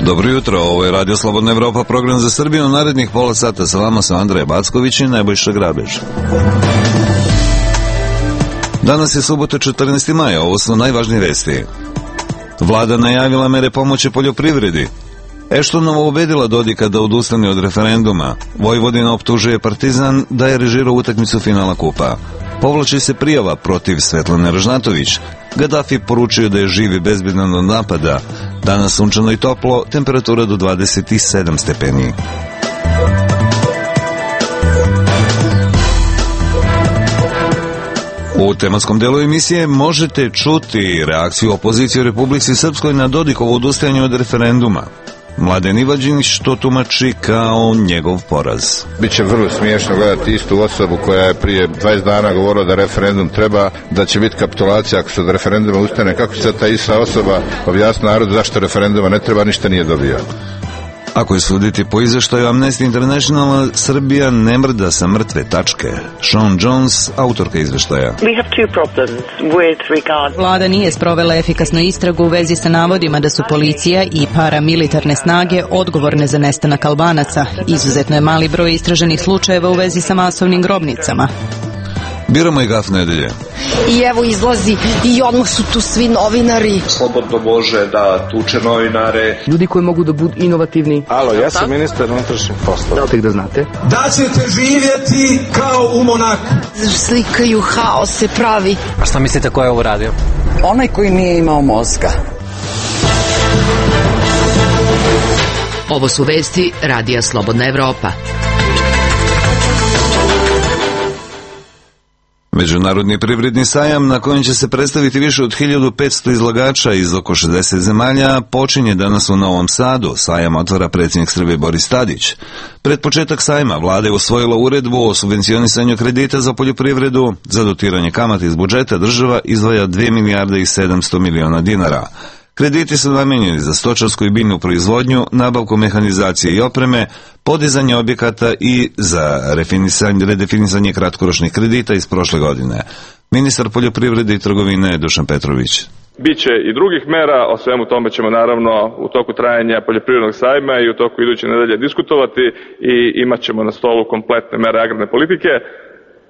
Dobro jutro, ovo je Radio Slobodna Evropa, program za Srbiju. Narednih pola sata sa vama su Andreja Backović i Nebojša Grabež. Danas je subota 14. maja, ovo su najvažnije vesti. Vlada najavila mere pomoći poljoprivredi. Eštonova ubedila Dodika da odustane od referenduma. Vojvodina optužuje Partizan da je režirao utakmicu finala kupa. Povlači se prijava protiv Svetlane Ražnatović. Gaddafi poručio da je živ i bezbedan od napada. Danas sunčano i toplo, temperatura do 27 stepeni. U tematskom delu emisije možete čuti reakciju opozicije u Republici Srpskoj na Dodikovo odustajanje od referenduma. Mladen Ivađinić to tumači kao njegov poraz. Biće vrlo smiješno gledati istu osobu koja je prije 20 dana govorila da referendum treba, da će biti kapitulacija ako se od referenduma ustane. Kako će ta ista osoba objasniti narodu zašto referenduma ne treba, ništa nije dobio. Ako je suditi po izveštaju Amnesty International, Srbija ne mrda sa mrtve tačke. Sean Jones, autorka izveštaja. Vlada nije sprovela efikasnu istragu u vezi sa navodima da su policija i paramilitarne snage odgovorne za nestanak Albanaca. Izuzetno je mali broj istraženih slučajeva u vezi sa masovnim grobnicama. Biramo i gaf nedelje. I evo izlazi i odmah su tu svi novinari. Slobodno može da tuče novinare. Ljudi koji mogu da budu inovativni. Alo, ja sam ministar unutrašnjih poslova. Tek da znate. Da ćete živjeti kao u Monaku. Slikaju, haos se pravi. A šta mislite ko je ovo radio? Onaj koji nije imao mozga. Ovo su vesti Radija Slobodna Evropa. Međunarodni privredni sajam, na kojem će se predstaviti više od 1500 izlagača iz oko 60 zemalja, počinje danas u Novom Sadu. Sajam otvara predsjednik Srbije Boris Tadić. Pred početak sajma vlada je usvojila uredbu o subvencionisanju kredita za poljoprivredu. Za dotiranje kamata iz budžeta država izdvaja 2 milijarde i 700 miliona dinara. Krediti su namijenjeni za stočarsku i biljnu proizvodnju, nabavku mehanizacije i opreme, podizanje objekata i za redefinisanje kratkoročnih kredita iz prošle godine. Ministar poljoprivrede i trgovine Dušan Petrović. Biće i drugih mera, o svemu tome ćemo naravno u toku trajanja poljoprivrednog sajma i u toku iduće nedelje diskutovati i imat ćemo na stolu kompletne mere agrarne politike.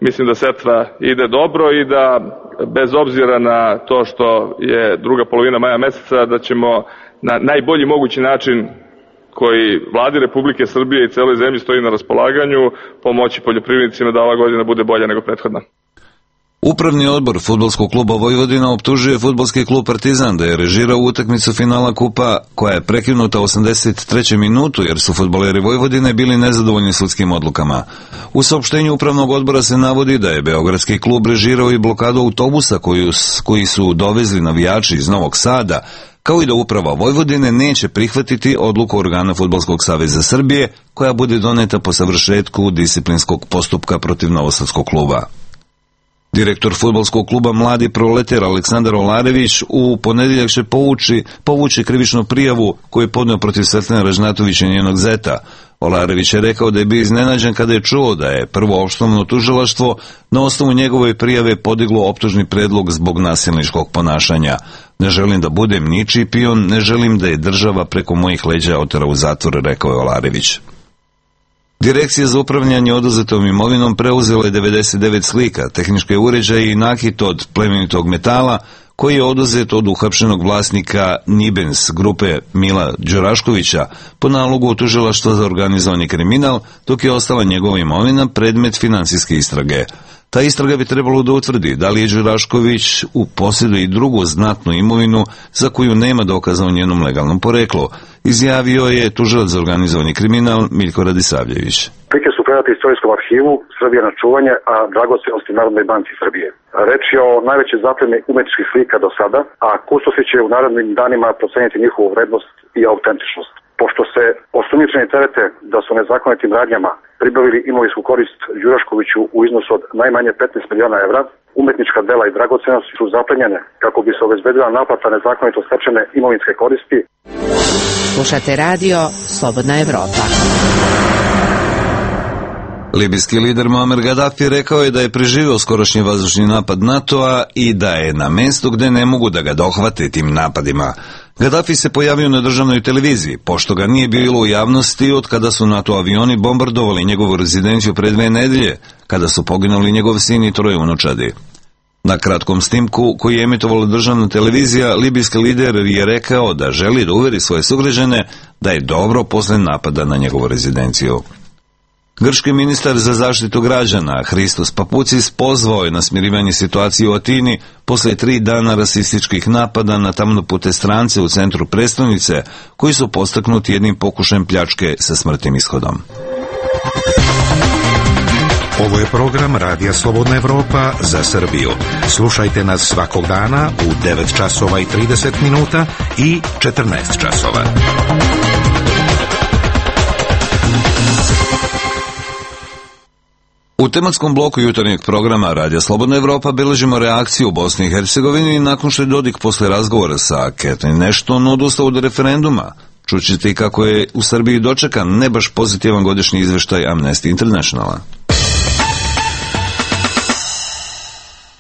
Mislim da setva ide dobro i da bez obzira na to što je druga polovina maja meseca, da ćemo na najbolji mogući način koji vladi Republike Srbije i celoj zemlji stoji na raspolaganju pomoći poljoprivrednicima da ova godina bude bolja nego prethodna. Upravni odbor Fudbalskog kluba Vojvodina optužuje fudbalski klub Partizan da je režirao utakmicu finala kupa koja je prekinuta u 83. minutu jer su fudbaleri Vojvodine bili nezadovoljni sudskim odlukama. U saopštenju upravnog odbora se navodi da je beogradski klub režirao i blokadu autobusa koji su dovezli navijači iz Novog Sada, kao i da uprava Vojvodine neće prihvatiti odluku organa Fudbalskog saveza Srbije koja bude doneta po savršetku disciplinskog postupka protiv novosadskog kluba. Direktor fudbalskog kluba Mladi proletar Aleksandar Olarević u ponedjeljak će povući krivičnu prijavu koju je podneo protiv Svetlane Ražnatović i njenog zeta. Olarević je rekao da je bio iznenađen kada je čuo da je prvo osnovno tužilaštvo na osnovu njegove prijave podiglo optužni predlog zbog nasilničkog ponašanja. Ne želim da budem ničiji pion, ne želim da je država preko mojih leđa otera u zatvor, rekao je Olarević. Direkcija za upravljanje oduzetom imovinom preuzela je 99 slika, tehničke uređaje i nakit od plemenitog metala koji je oduzet od uhapšenog vlasnika Nibens grupe Mila Đuraškovića po nalogu tužilaštva za organizovani kriminal, dok je ostala njegova imovina predmet finansijske istrage. Ta istraga bi trebalo da utvrdi da li je Đurašković u posjedu i drugu znatnu imovinu za koju nema dokaza o njenom legalnom poreklu, izjavio je tužilac za organizovani kriminal Miljko Radisavljević. Slike su predate istorijskom arhivu Srbije na čuvanje, a dragocenosti Narodnoj banci Srbije. Reč je o najvećoj zapleni umetničkih slika do sada, a kustosi će u narednim danima proceniti njihovu vrednost i autentičnost. Pošto se osumnjičeni terete da su nezakonitim radnjama pribavili imovinsku korist Đuraškoviću u iznosu od najmanje 15 miliona evra, umetnička dela i dragocenosti su zaplenjene kako bi se obezbedila naplata nezakonito stečene imovinske koristi. Slušate radio Slobodna Evropa. Libijski lider Muammar Gaddafi rekao je da je preživio skorašnji vazdušni napad NATO-a i da je na mestu gde ne mogu da ga dohvate tim napadima. Gaddafi se pojavio na državnoj televiziji, pošto ga nije bilo u javnosti od kada su NATO avioni bombardovali njegovu rezidenciju pre 2 nedelje, kada su poginuli njegov sin i 3 unučadi. Na kratkom snimku koji je emitovala državna televizija, libijski lider je rekao da želi da uveri svoje sugrađane da je dobro posle napada na njegovu rezidenciju. Grčki ministar za zaštitu građana Hristos Papucis pozvao je na smirivanje situacije u Atini posle 3 dana rasističkih napada na tamnopute strance u centru prestonice, koji su postaknuti jednim pokušajem pljačke sa smrtnim ishodom. Ovo je program Radija Slobodna Evropa za Srbiju. Slušajte nas svakog dana u 9 časova i 30 minuta i 14 časova. U tematskom bloku jutarnjeg programa Radija Slobodna Evropa beležimo reakciju u Bosni i Hercegovini nakon što je Dodik posle razgovora sa Catherine Ashton odustao od referenduma. Čućete i kako je u Srbiji dočekan ne baš pozitivan godišnji izveštaj Amnesty Internationala.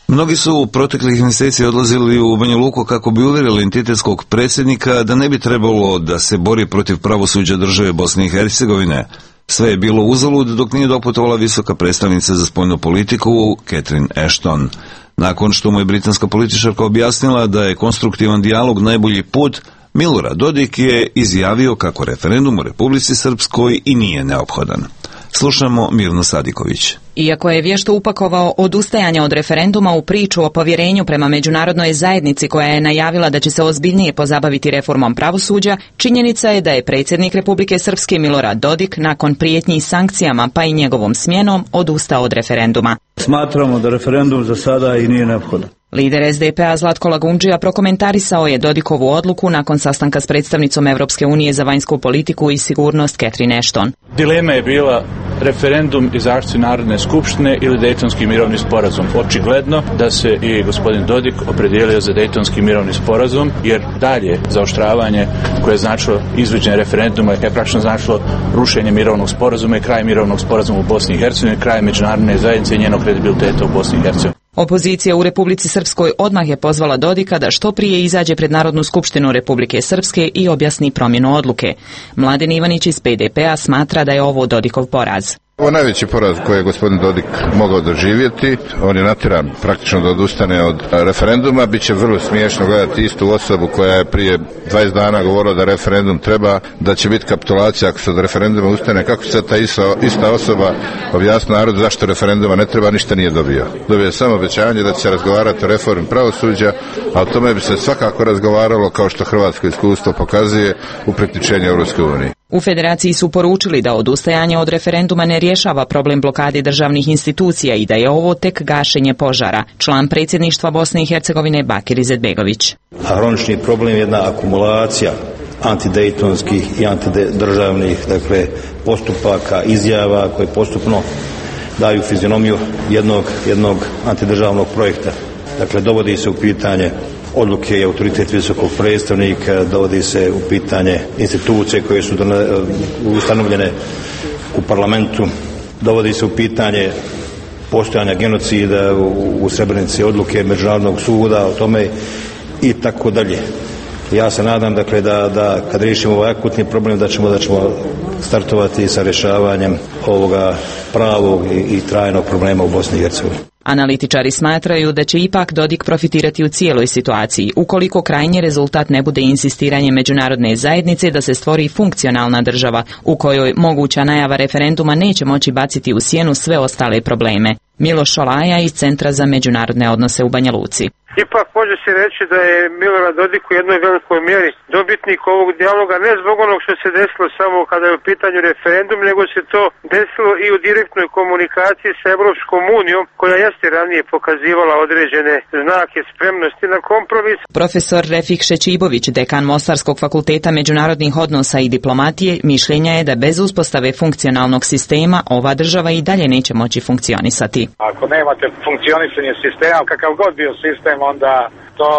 Mnogi su u proteklih mjeseci odlazili u Banja Luku kako bi uvjerili entitetskog predsjednika da ne bi trebalo da se bori protiv pravosuđa države Bosne i Hercegovine. Sve je bilo uzalud dok nije doputovala visoka predstavnica za spoljnu politiku Catherine Ashton. Nakon što mu je britanska političarka objasnila da je konstruktivan dijalog najbolji put, Milorad Dodik je izjavio kako referendum u Republici Srpskoj i nije neophodan. Slušamo Mirnu Sadiković. Iako je vješto upakovao odustajanje od referenduma u priču o povjerenju prema međunarodnoj zajednici koja je najavila da će se ozbiljnije pozabaviti reformom pravosuđa, činjenica je da je predsjednik Republike Srpske Milorad Dodik nakon prijetnji sankcijama pa i njegovom smjenom odustao od referenduma. Smatramo da referendum za sada i nije neophodan. Lider SDP-a Zlatko Lagundžija prokomentarisao je Dodikovu odluku nakon sastanka s predstavnicom Evropske unije za vanjsku politiku i sigurnost Catherine Ashton. Dilema je bila referendum iz akcije Narodne skupštine ili Dejtonski mirovni sporazum. Očigledno da se i gospodin Dodik opredijelio za Dejtonski mirovni sporazum, jer dalje zaoštravanje koje je značilo izvođenje referenduma je praktično značilo rušenje mirovnog sporazuma i kraj mirovnog sporazuma u Bosni i Hercegovini, kraj međunarodne zajednice i njenog kredibiliteta u Bosni i Hercegovini. Opozicija u Republici Srpskoj odmah je pozvala Dodika da što prije izađe pred Narodnu skupštinu Republike Srpske i objasni promjenu odluke. Mladen Ivanić iz PDP-a smatra da je ovo Dodikov poraz. Ovo je najveći poraz koji je gospodin Dodik mogao doživjeti. On je natjeran praktično da odustane od referenduma. Biće vrlo smiješno gledati istu osobu koja je prije 20 dana govorila da referendum treba, da će biti kapitulacija ako se od referenduma ustane. Kako se ta ista osoba objasni narodu zašto referenduma ne treba, ništa nije dobio. Dobio je samo obećanje da će se razgovarati o reformi pravosuđa, a o tome bi se svakako razgovaralo, kao što hrvatsko iskustvo pokazuje, u priključenju Europskoj uniji. U Federaciji su poručili da odustajanje od referenduma ne rješava problem blokade državnih institucija i da je ovo tek gašenje požara. Član predsjedništva Bosne i Hercegovine Bakir Izetbegović. Hronični problem je jedna akumulacija antidejtonskih i antidržavnih postupaka, izjava koje postupno daju fizionomiju jednog antidržavnog projekta. Dovodi se u pitanje odluke i autoritet visokog predstavnika, dovodi se u pitanje institucije koje su ustanovljene u parlamentu, dovodi se u pitanje postojanja genocida u Srebrenici, odluke Međunarodnog suda o tome i tako dalje. Ja se nadam da kad riješimo ovaj akutni problem da ćemo startovati sa rješavanjem ovoga pravog i trajnog problema u Bosni i Hercegovini. Analitičari smatraju da će ipak Dodik profitirati u cijeloj situaciji, ukoliko krajnji rezultat ne bude insistiranje međunarodne zajednice da se stvori funkcionalna država, u kojoj moguća najava referenduma neće moći baciti u sjenu sve ostale probleme. Miloš Šolaja iz Centra za međunarodne odnose u Banja Luci. Ipak može se reći da je Milorad Dodik u jednoj velikoj mjeri dobitnik ovog dijaloga, ne zbog onog što se desilo samo kada je u pitanju referendum, nego se to desilo i u direktnoj komunikaciji sa Evropskom unijom, koja jeste ranije pokazivala određene znake spremnosti na kompromis. Profesor Refik Šećibović, dekan Mostarskog fakulteta međunarodnih odnosa i diplomatije, mišljenja je da bez uspostave funkcionalnog sistema ova država i dalje neće moći funkcionisati. Ako nemate funkcionisanje sistema, kakav god bio sistem, onda to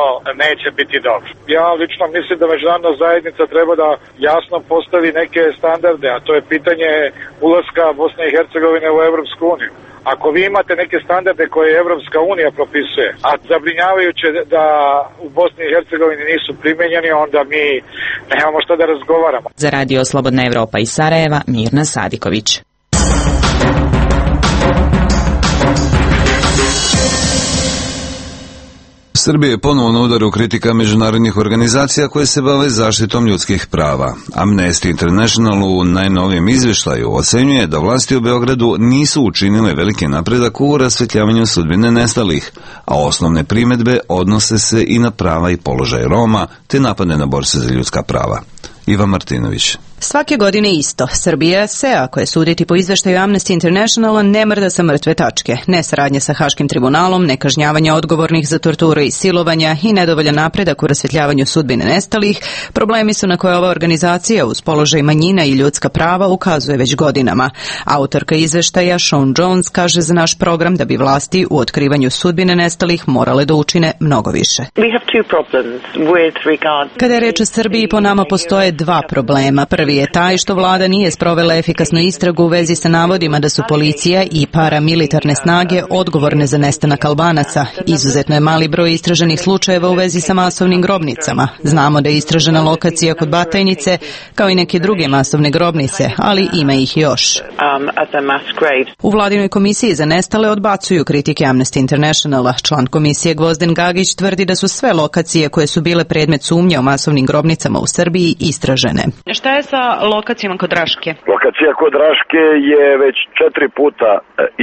neće biti dobro. Ja lično mislim da međunarodna zajednica treba da jasno postavi neke standarde, a to je pitanje ulaska Bosne i Hercegovine u Evropsku uniju. Ako vi imate neke standarde koje Evropska unija propisuje, a zabrinjavajuće da u Bosni i Hercegovini nisu primenjeni, onda mi nemamo šta da razgovaramo. Za Radio Slobodna Evropa iz Sarajeva, Mirna Sadiković. Srbija je ponovo na udaru kritika međunarodnih organizacija koje se bave zaštitom ljudskih prava. Amnesty International u najnovijem izvještaju ocenjuje da vlasti u Beogradu nisu učinile veliki napredak u rasvetljavanju sudbine nestalih, a osnovne primedbe odnose se i na prava i položaj Roma, te napade na borce za ljudska prava. Ivan Martinović. Svake godine isto. Srbija se, ako je suditi po izveštaju Amnesty Internationala, ne mrda sa mrtve tačke. Nesaradnje sa Haškim tribunalom, nekažnjavanje odgovornih za torture i silovanja i nedovoljan napredak u rasvetljavanju sudbine nestalih, problemi su na koje ova organizacija uz položaj manjina i ljudska prava ukazuje već godinama. Autorka izveštaja Sean Jones kaže za naš program da bi vlasti u otkrivanju sudbine nestalih morale da učine mnogo više. Kada je reč o Srbiji, po nama postoje dva problema. Prvi je taj što vlada nije sprovela efikasnu istragu u vezi sa navodima da su policija i paramilitarne snage odgovorne za nestanak Albanaca. Izuzetno je mali broj istraženih slučajeva u vezi sa masovnim grobnicama. Znamo da je istražena lokacija kod Batajnice, kao i neke druge masovne grobnice, ali ima ih još. U vladinoj komisiji za nestale odbacuju kritike Amnesty Internationala. Član komisije Gvozden Gagić tvrdi da su sve lokacije koje su bile predmet sumnje o masovnim grobnicama u Srbiji istražene. Šta je sa lokacijama kod Raške? Lokacija kod Raške je već 4 puta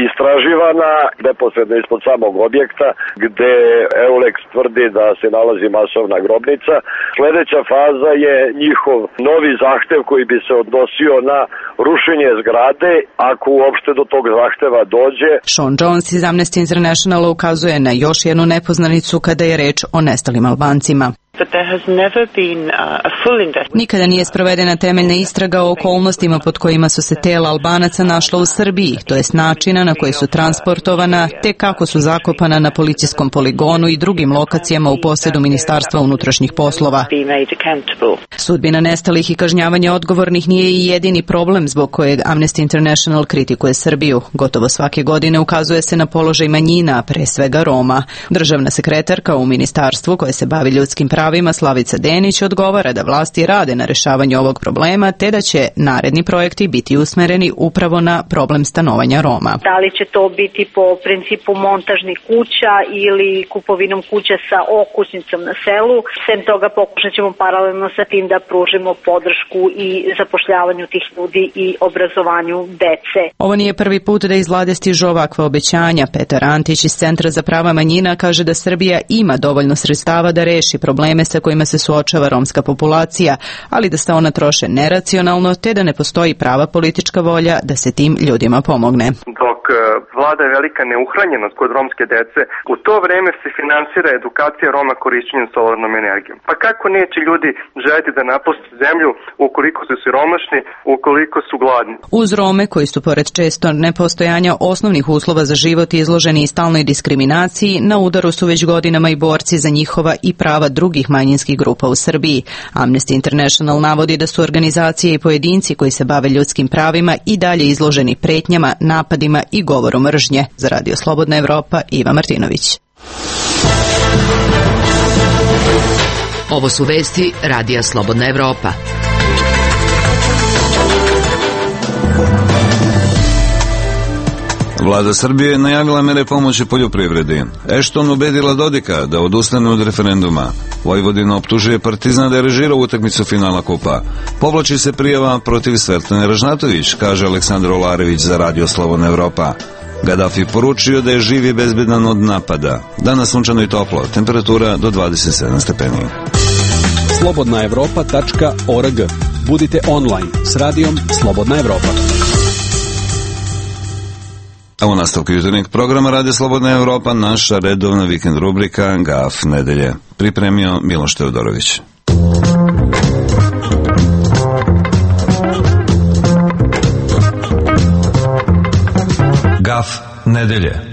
istraživana, neposredno ispod samog objekta, gde EULEX tvrdi da se nalazi masovna grobnica. Sljedeća faza je njihov novi zahtev koji bi se odnosio na rušenje zgrade, ako uopšte do tog zahteva dođe. Sean Jones iz Amnesty Internationala ukazuje na još jednu nepoznanicu kada je reč o nestalim Albancima. Nikada nije sprovedena temeljna istraga o okolnostima pod kojima su se tela Albanaca našla u Srbiji, to jest načina na koji su transportovana, te kako su zakopana na policijskom poligonu i drugim lokacijama u posjedu Ministarstva unutrašnjih poslova. Sudbina nestalih i kažnjavanje odgovornih nije i jedini problem zbog kojeg Amnesty International kritikuje Srbiju. Gotovo svake godine ukazuje se na položaj manjina, pre svega Roma. Državna sekretarka u ministarstvu koje se bavi ljudskim pravima Slavica Denić odgovara da vlasti rade na rešavanju ovog problema, te da će naredni projekti biti usmereni upravo na problem stanovanja Roma. Da li će to biti po principu montažnih kuća ili kupovinom kuća sa okućnicom na selu? Sem toga pokušat ćemo paralelno sa tim da pružimo podršku i zapošljavanju tih ljudi i obrazovanju dece. Ovo nije prvi put da iz vlade stižu ovakva obećanja. Petar Antić iz Centra za prava manjina kaže da Srbija ima dovoljno sredstava da reši probleme sa kojima se suočava romska populacija, ali da se ona troše neracionalno, te da ne postoji prava politička volja da se tim ljudima pomogne. Dok vlada je velika neuhranjenost kod romske dece, u to vreme se finansira edukacija Roma korišćenjem solarnom energijom. Pa kako neće ljudi želiti da napuste zemlju ukoliko su siromašni, ukoliko su gladni? Uz Rome, koji su pored često nepostojanja osnovnih uslova za život izloženi i stalnoj diskriminaciji, na udaru su već godinama i borci za njihova i prava drugih manjinskih grupa u Srbiji. Amnesty International navodi da su organizacije i pojedinci koji se bave ljudskim pravima i dalje izloženi pretnjama, napadima i govoru mržnje. Za Radio Slobodna Evropa, Iva Martinović. Ovo su vesti Radija Slobodna Evropa. Vlada Srbije je najavila mere pomoći poljoprivredi. Ashton ubedila Dodika da odustane od referenduma. Vojvodina optužuje Partizan da je režirao utakmicu finala kupa. Povlači se prijava protiv Svetlane Ražnatović, kaže Aleksandar Olarević za Radio Slobodna Evropa. Gaddafi poručio da je živ i bezbedan od napada. Danas sunčano i toplo, temperatura do 27 stepeni. slobodnaevropa.org. Budite online s radijom Slobodna Evropa. A u nastavku jutarnjeg programa Radio Slobodna Evropa naša redovna vikend rubrika GAF nedelje. Pripremio Miloš Teodorović. GAF nedelje.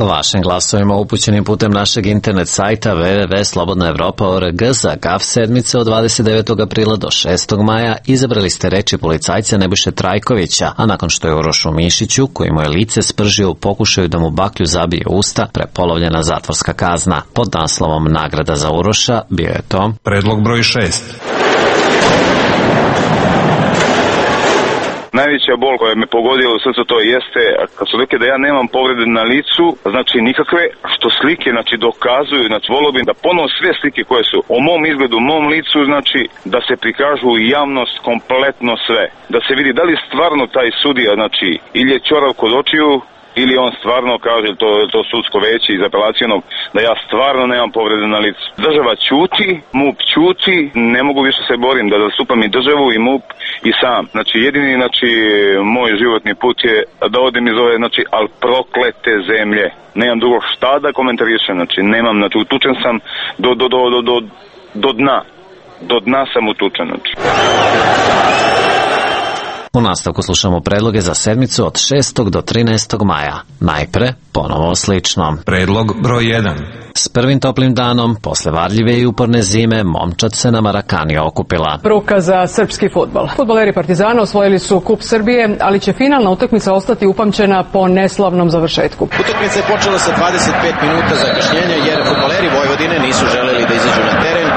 Vašim glasovima upućenim putem našeg internet sajta www.slobodnaevropa.org za GAF sedmice od 29. aprila do 6. maja izabrali ste reči policajca Nebojše Trajkovića, a nakon što je Urošu Mišiću, koji mu je lice spržio u pokušaju da mu baklju zabije usta, prepolovljena zatvorska kazna. Pod naslovom Nagrada za Uroša bio je to predlog broj 6. Najveća bol koja me pogodila u srcu to jeste kad su rekli da ja nemam povrede na licu, znači nikakve, što slike znači dokazuju, znači volio bih da ponovo sve slike koje su o mom izgledu, mom licu, znači da se prikažu javnost kompletno sve, da se vidi da li stvarno taj sudija, znači ili je ćorav kod očiju, ili on stvarno kaže, to sudsko veće iz apelacijonog, da ja stvarno nemam povrede na licu. Država ćuti, MUP ćuti, ne mogu više se borim da zastupam i državu i MUP i sam. Znači jedini moj životni put je da odem iz ove, al proklete zemlje. Nemam drugo šta da komentarišem, znači nemam, utučen sam do dna. Do dna sam utučen, znači. U nastavku slušamo predloge za sedmicu od 6. do 13. maja. Najpre, ponovo slično. Predlog broj 1. S prvim toplim danom, posle varljive i uporne zime, momčad se na Marakani okupila. Bruka za srpski fudbal. Fudbaleri Partizana osvojili su Kup Srbije, ali će finalna utakmica ostati upamćena po neslavnom završetku. Utakmica je počela sa 25 minuta zakašnjenja jer fudbaleri Vojvodine nisu želeli da izađu na teren,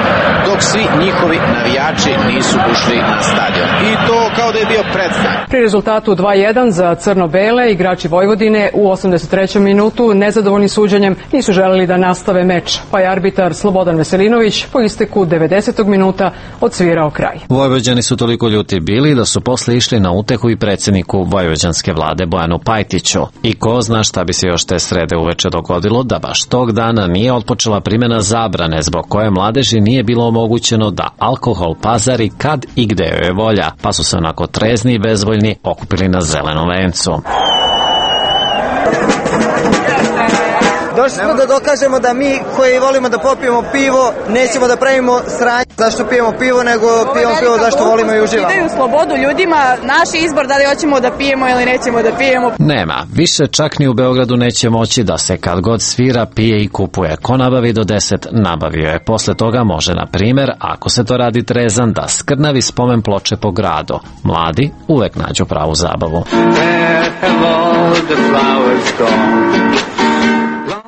dok svi njihovi navijači nisu ušli na stadion. I to kao da je bio predznak. Pri rezultatu 2:1 za crno-bele, igrači Vojvodine u 83. minutu nezadovoljni suđenjem nisu želeli da nastave meč, pa je arbitar Slobodan Veselinović po isteku 90. minuta odsvirao kraj. Vojvođani su toliko ljuti bili da su posle išli na utehu i predsjedniku vojvođanske vlade Bojanu Pajtiću. I ko zna šta bi se još te srede uveče dogodilo da baš tog dana nije otpočela primjena zabrane zbog koje mladeži nije bilo omogućeno da alkohol pazari kad i gde joj je volja, pa su se onako trezni i bezvoljni okupili na Zelenom vencu. Došli smo da dokažemo da mi koji volimo da popijemo pivo nećemo da pravimo sranje zašto pijemo pivo, nego pijemo pivo zašto volimo i uživamo. Daju slobodu ljudima, naš izbor da li hoćemo da pijemo ili nećemo da pijemo. Nema, više čak ni u Beogradu neće moći da se kad god svira, pije i kupuje. Ko nabavi do 10, nabavio je. Posle toga može, na primjer, ako se to radi trezan, da skrnavi spomen ploče po gradu. Mladi uvek nađu pravu zabavu.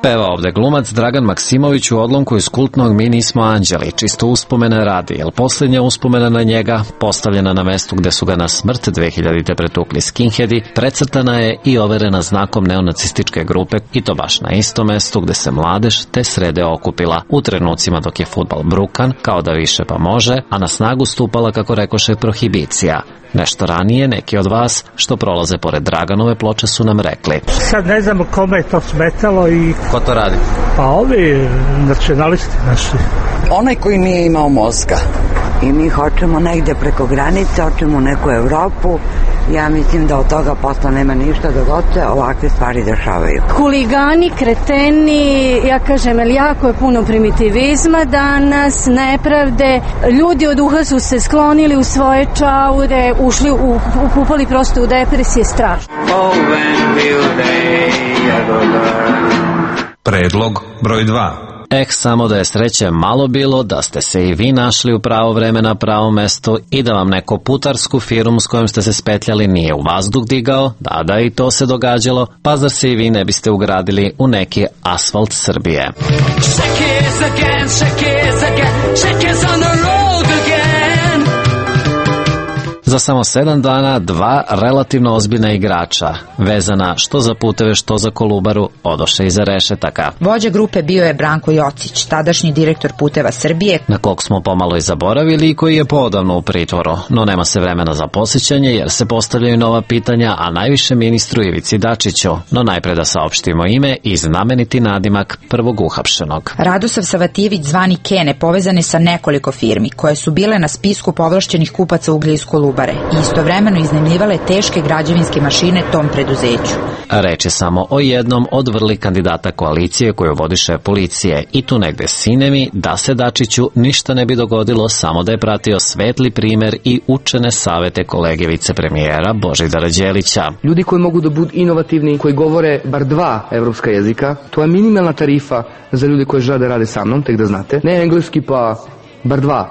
Peva ovde glumac Dragan Maksimović u odlomku iz kultnog Mi nismo anđeli, čisto uspomene radi, jer posljednja uspomena na njega, postavljena na mestu gde su ga na smrt 2000. pretukli skinheadi, precrtana je i overena znakom neonacističke grupe, i to baš na isto mestu gde se mladež te srede okupila, u trenucima dok je fudbal brukan, kao da više pa može, a na snagu stupala, kako rekoše, prohibicija. Nešto ranije neki od vas što prolaze pored Draganove ploče su nam rekli. Sad ne znamo kome je to smetalo i... Ko to radi? Pa ovi nacionalisti naši. Onaj koji nije imao mozga. I mi hoćemo negde preko granice, hoćemo u neku Evropu. Ja mislim da od toga posla nema ništa dok god se ovakve stvari dešavaju. Huligani, kreteni, ja kažem, jer jako je puno primitivizma danas, nepravde. Ljudi od uha su se sklonili u svoje čaure, ušli, upupali prosto u depresije, strašno. Predlog broj 2. Samo da je sreće malo bilo da ste se i vi našli u pravo vreme na pravo mesto i da vam neko putarsku firmu s kojom ste se spetljali nije u vazduh digao, da i to se događalo, pa zar se i vi ne biste ugradili u neki asfalt Srbije. Za samo 7 dana 2 relativno ozbiljna igrača, vezana što za puteve, što za Kolubaru, odoše iza rešetaka. Vođa grupe bio je Branko Jocić, tadašnji direktor Puteva Srbije, na kog smo pomalo i zaboravili i koji je poodavno u pritvoru, no nema se vremena za posjećanje jer se postavljaju nova pitanja, a najviše ministru Ivici Dačiću. No najpre da saopštimo ime i znameniti nadimak prvog uhapšenog. Radosav Savatijević, zvani Kene, povezan je sa nekoliko firmi koje su bile na spisku povlašćenih kupaca uglja iz Kolubare. toluvare i istovremeno iznajmljivale teške građevinske mašine tom preduzeću. Reč je samo o jednom od vrli kandidata koalicije koju vodiše policije i tu negde sinemi da se Dačiću ništa ne bi dogodilo samo da je pratio svetli primer i učene savete kolege vicepremijera Božidara Đelića. Ljudi koji mogu da budu inovativni, koji govore bar 2 evropska jezika, to je minimalna tarifa za ljudi koji žele da rade sa mnom, tek da znate. Ne engleski pa bar 2,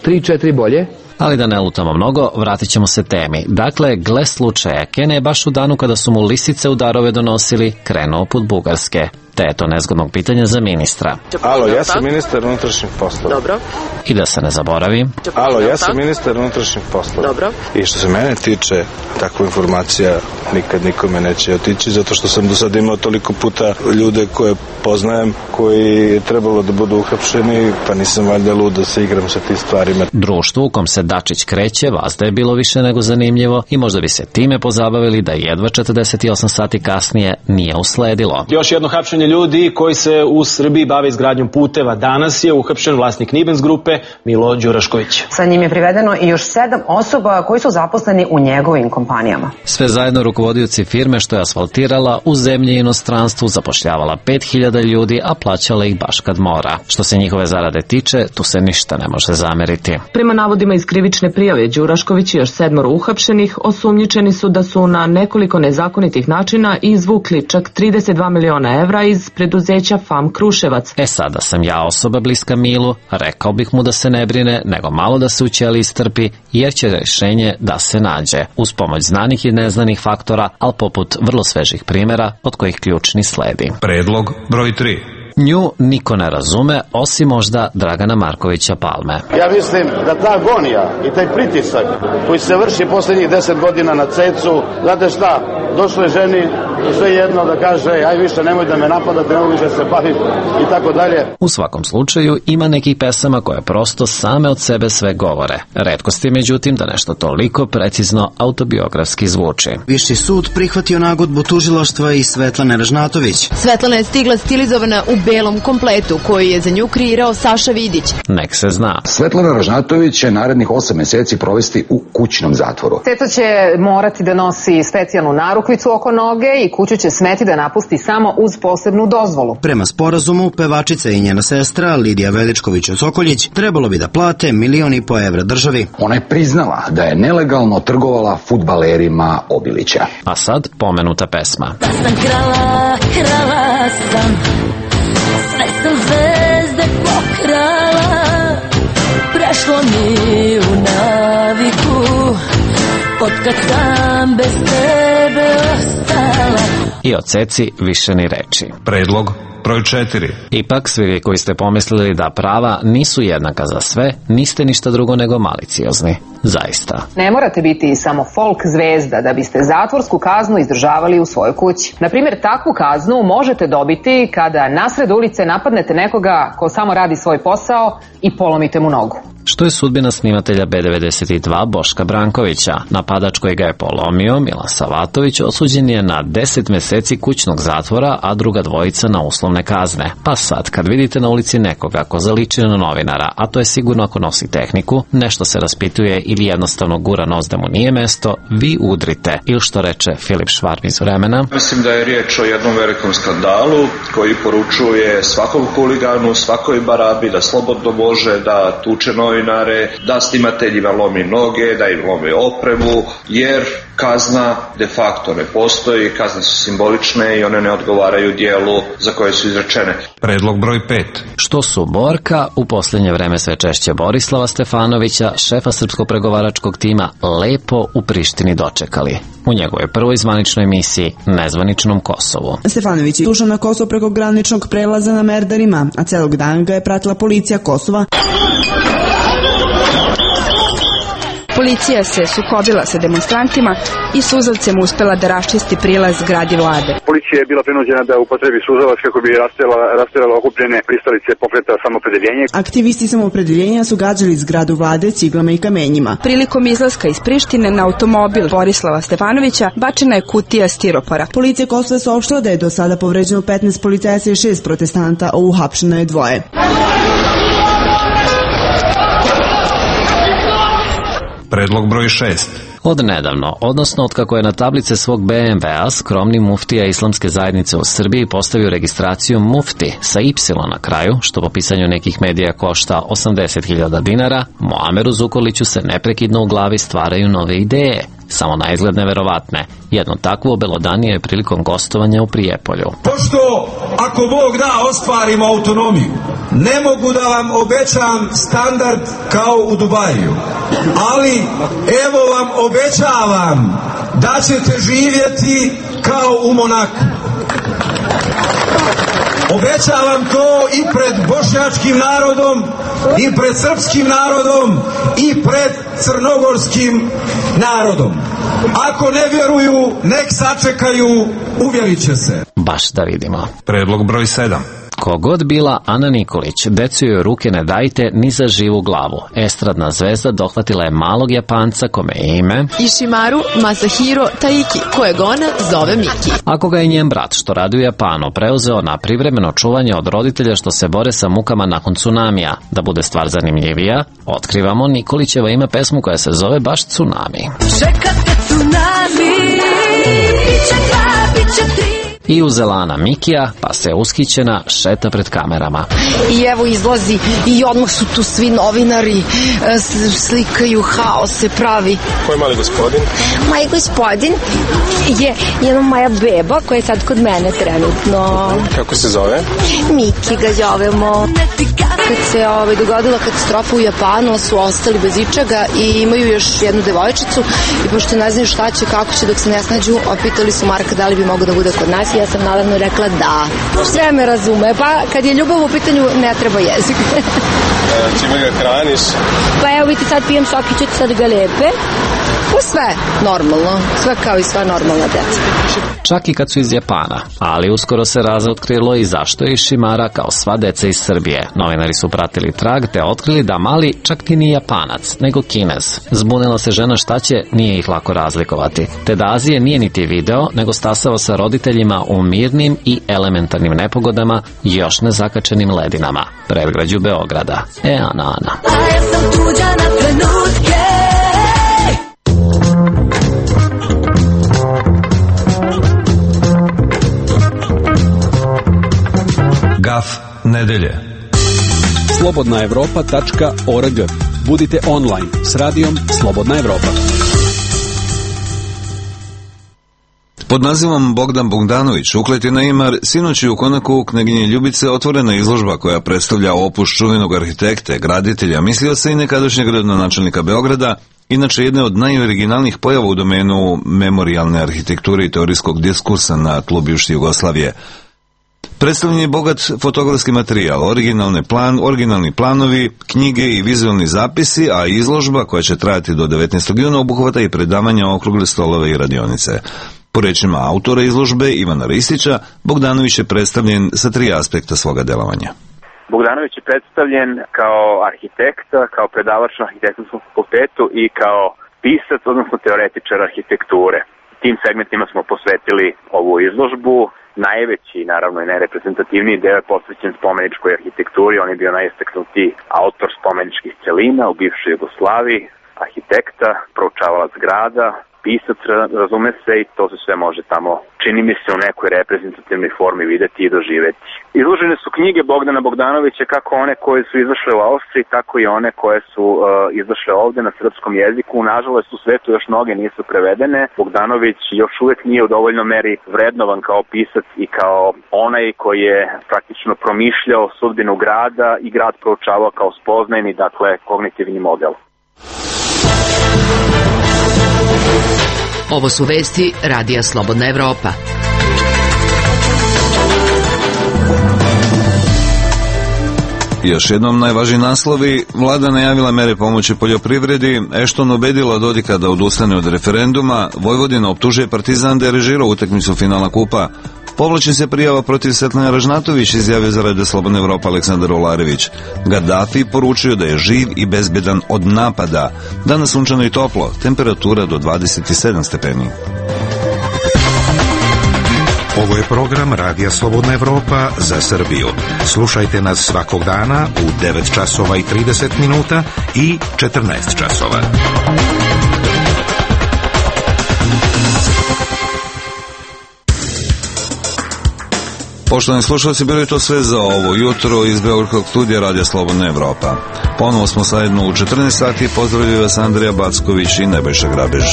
3, 4 bolje. Ali da ne lutamo mnogo, vratit ćemo se temi. Dakle, gle slučaja, Kene je baš u danu kada su mu lisice u darove donosili, krenuo put Bugarske. Te je to nezgodnog pitanja za ministra. Alo, ja sam ministar unutrašnjih poslova. Dobro. I da se ne zaboravi. Alo, ja sam ministar unutrašnjih poslova. Dobro. I što se mene tiče, takva informacija nikad nikome neće otići, zato što sam do sada imao toliko puta ljude koje poznajem, koji je trebalo da budu uhapšeni, pa nisam valjda lud da se igram sa tim stvarima. Društvu u kom se Dačić kreće, vazda je bilo više nego zanimljivo i možda bi se time pozabavili da jedva 48 sati kasnije nije usledilo. Još jedno hapšenje ljudi koji se u Srbiji bave izgradnjom puteva. Danas je uhapšen vlasnik Nibens grupe Milo Đurašković. Sa njim je privedeno i još 7 osoba koji su zaposleni u njegovim kompanijama. Sve zajedno rukovodioci firme što je asfaltirala u zemlji i inostranstvu zapošljavala 5000 ljudi, a plaćala ih baš kad mora. Što se njihove zarade tiče, tu se ništa ne može zameriti. Prema navodima iz krivične prijave, Đurašković i još 7 uhapšenih osumnjičeni su da su na nekoliko nezakonitih načina izvukli čak 32 miliona evra iz preduzeća FAM Kruševac. Sada sam ja osoba bliska Milu, rekao bih mu da se ne brine, nego malo da se u ćeliji strpi, jer će rešenje da se nađe, uz pomoć znanih i neznanih faktora, ali poput vrlo svežih primjera, od kojih ključni sledi. Predlog broj 3. Nju niko ne razume, osim možda Dragana Markovića Palme. Ja mislim da ta agonija i taj pritisak koji se vrši poslednjih 10 godina na cecu, znate šta, došlo je ženi sve jedno da kaže, aj više nemoj da me napadate, nemoj više se baviti i tako dalje. U svakom slučaju ima nekih pesama koje prosto same od sebe sve govore. Retkost je međutim da nešto toliko precizno autobiografski zvuči. Viši sud prihvatio nagodbu tužilaštva i Svetlane Ražnatović. Svetlana je stigla stilizovana u belom kompletu koji je za nju kreirao Saša Vidić. Nek se zna. Svetlana Ražnatović će narednih 8 meseci provesti u kućnom zatvoru. Ceca će morati da nosi specijalnu narukvicu oko noge i kuću će smeti da napusti samo uz posebnu dozvolu. Prema sporazumu, pevačica i njena sestra Lidija Veličković-Sokoljić trebalo bi da plate 1,5 miliona evra državi. Ona je priznala da je nelegalno trgovala fudbalerima Obilića. A sad pomenuta pesma. Da sam krala sam, sve sam zvezde pokrala, prešlo mi u naviku, otkad sam bez tebe ostala. I o Ceci više ni reči. Predlog broj 4. Ipak, svi vi koji ste pomislili da prava nisu jednaka za sve, niste ništa drugo nego maliciozni. Zaista. Ne morate biti samo folk zvezda da biste zatvorsku kaznu izdržavali u svojoj kući. Naprimjer, takvu kaznu možete dobiti kada nasred ulice napadnete nekoga ko samo radi svoj posao i polomite mu nogu. Što je sudbina snimatelja B92 Boška Brankovića? Napadač koji ga je polomio, Milan Savatović, osuđen je na 10 meseci kućnog zatvora, a druga dvojica na uslovne kazne. Pa sad, kad vidite na ulici nekoga ko zaliči na novinara, a to je sigurno ako nosi tehniku, nešto se raspituje ili jednostavno gura nos da mu nije mesto, vi udrite. Ili što reče Filip Švarm iz Vremena. Mislim da je riječ o jednom velikom skandalu koji poručuje svakom huliganu, svakoj barabi da slobodno može da tuče novinare, da snimateljima lomi noge, da im lomi opremu, jer kazna de facto ne postoji, kazne su simbolične i one ne odgovaraju dijelu za koje su izrečene. Predlog broj 5. Što su Borka, u posljednje vreme sve češće Borislava Stefanovića, šefa srpskog pregovaračkog tima, lepo u Prištini dočekali. U njegovoj prvoj zvaničnoj misiji, nezvaničnom Kosovu. Stefanović je ušao na Kosovo preko graničnog prelaza na Merdarima, a celog dana ga je pratila policija Kosova. Policija se sukobila sa demonstrantima i suzavcem uspela da raščisti prilaz zgradi vlade. Policija je bila prinuđena da upotrebi suzavac kako bi rasterala okupljene pristalice pokreta Samoopredeljenje. Aktivisti Samoopredeljenja su gađali zgradu vlade ciglama i kamenjima. Prilikom izlaska iz Prištine na automobil Borislava Stefanovića bačena je kutija stiropora. Policija Kosova saopštila da je do sada povređeno 15 policajaca i 6 protestanta, a uhapšeno je 2. Predlog broj 6. Od nedavno, odnosno od kako je na tablice svog BMW-a skromni muftija Islamske zajednice u Srbiji postavio registraciju mufti sa Y na kraju, što po pisanju nekih medija košta 80.000 dinara, Muameru Zukorliću se neprekidno u glavi stvaraju nove ideje, samo na izgled neverovatne. Jedno takvo obelodanio je prilikom gostovanja u Prijepolju. Pošto, ako Bog da, ostvarimo autonomiju, ne mogu da vam obećam standard kao u Dubaju, ali evo vam obećavam da ćete živjeti kao u Monaku. Obećavam to i pred bošnjačkim narodom, i pred srpskim narodom, i pred crnogorskim narodom. Ako ne vjeruju, nek sačekaju, uvjerit će se. Baš da vidimo. Predlog broj 7. Kogod bila Ana Nikolić, decu joj ruke ne dajte ni za živu glavu. Estradna zvezda dohvatila je malog Japanca kome je ime Ishimaru Masahiro Taiki, kojeg ona zove Miki. Ako ga je njen brat, što radi u Japanu, preuzeo na privremeno čuvanje od roditelja što se bore sa mukama nakon tsunamija. Da bude stvar zanimljivija, otkrivamo Nikolićevo ime pesmu koja se zove baš Tsunami. Čekate tsunami, biće dva, biće tri. I uzela Ana Mikija, pa se ushićena šeta pred kamerama. I evo izlazi i odmah su tu svi novinari, slikaju, haos se pravi. Ko je mali gospodin? Mali gospodin je jedna moja beba koja je sad kod mene trenutno. Kako se zove? Miki ga zovemo. Kad se dogodila katastrofa u Japanu, su ostali bez ičega i imaju još jednu devojčicu i pošto ne znaju šta će, kako će dok se ne snađu, opitali su Marka da li bi mogao da bude kod nas. Ja sam naravno rekla da. Sve me razume, pa kad je ljubav u pitanju ne treba jezik. Čime ga hraniš? Pa evo vidite, sad pijem sokiću, sad ga lepe. Pa sve normalno, sve kao i sva normalna deca. Čak i kad su iz Japana, ali uskoro se razotkrilo i zašto je Šimara kao sva deca iz Srbije. Novinari su pratili trag te otkrili da mali čak ti ni Japanac, nego Kinez. Zbunila se žena šta će, nije ih lako razlikovati. Te da Azije nije niti video, nego stasao sa roditeljima u mirnim i elementarnim nepogodama i još nezakačenim ledinama. Predgrađu Beograda. Ana. A ja sam tuđa na trenutke. Gaf nedelje. slobodnaevropa.org. Budite online s radijom Slobodna Evropa. Pod nazivom Bogdan Bogdanović, uklet na Imar, sinoć je u konaku u Kneginje Ljubice otvorena izložba koja predstavlja opus čuvenog arhitekte, graditelja, mislioca i nekadašnjeg gradonačelnika Beograda, inače jedne od najoriginalnijih pojava u domenu memorijalne arhitekture i teorijskog diskursa na tlu bivše Jugoslavije. Predstavljen je bogat fotografski materijal, originalni planovi, knjige i vizualni zapisi, a izložba koja će trajati do 19. juna obuhvata i predavanja, okrugle stolove i radionice. Po rečima autora izložbe Ivana Ristića, Bogdanović je predstavljen sa 3 aspekta svoga delovanja. Bogdanović je predstavljen kao arhitekt, kao predavač na arhitektonskom fakultetu i kao pisac, odnosno teoretičar arhitekture. Tim segmentima smo posvetili ovu izložbu. Najveći, naravno i najreprezentativniji deo je posvećen spomeničkoj arhitekturi. On je bio najistaknutiji autor spomeničkih celina u bivšoj Jugoslaviji, arhitekta, proučavalac grada, pisac, razume se, i to se sve može tamo, čini mi se, u nekoj reprezentativnoj formi videti i doživeti. Izložene su knjige Bogdana Bogdanovića, kako one koje su izašle u Austriji, tako i one koje su izašle ovde na srpskom jeziku. Nažalost, u svetu još mnoge nisu prevedene. Bogdanović još uvek nije u dovoljnoj meri vrednovan kao pisac i kao onaj koji je praktično promišljao sudbinu grada i grad proučavao kao spoznajni, dakle, kognitivni model. Ovo su vesti Radija Slobodna Evropa. Još jednom najvažniji naslovi. Vlada najavila mere pomoći poljoprivredi, Ešton ubedila Dodika da odustane od referenduma, Vojvodina optužuje Partizan da je režirao utakmicu finala kupa, povlači se prijava protiv Svetlane Ražnatović, izjavio za Radio Slobodna Evropa Aleksandar Olarević. Gaddafi poručio da je živ i bezbedan od napada. Danas sunčano i toplo, temperatura do 27 stepeni. Ovo je program Radija Slobodna Evropa za Srbiju. Slušajte nas svakog dana u 9 časova i 30 minuta i 14 časova. Poštovani slušalci, bilo je to sve za ovo jutro iz Beogradskog studija Radija Slobodna Evropa. Ponovo smo zajedno u 14 sati. Pozdravljaju vas Andrija Backović i Nebojša Grabež.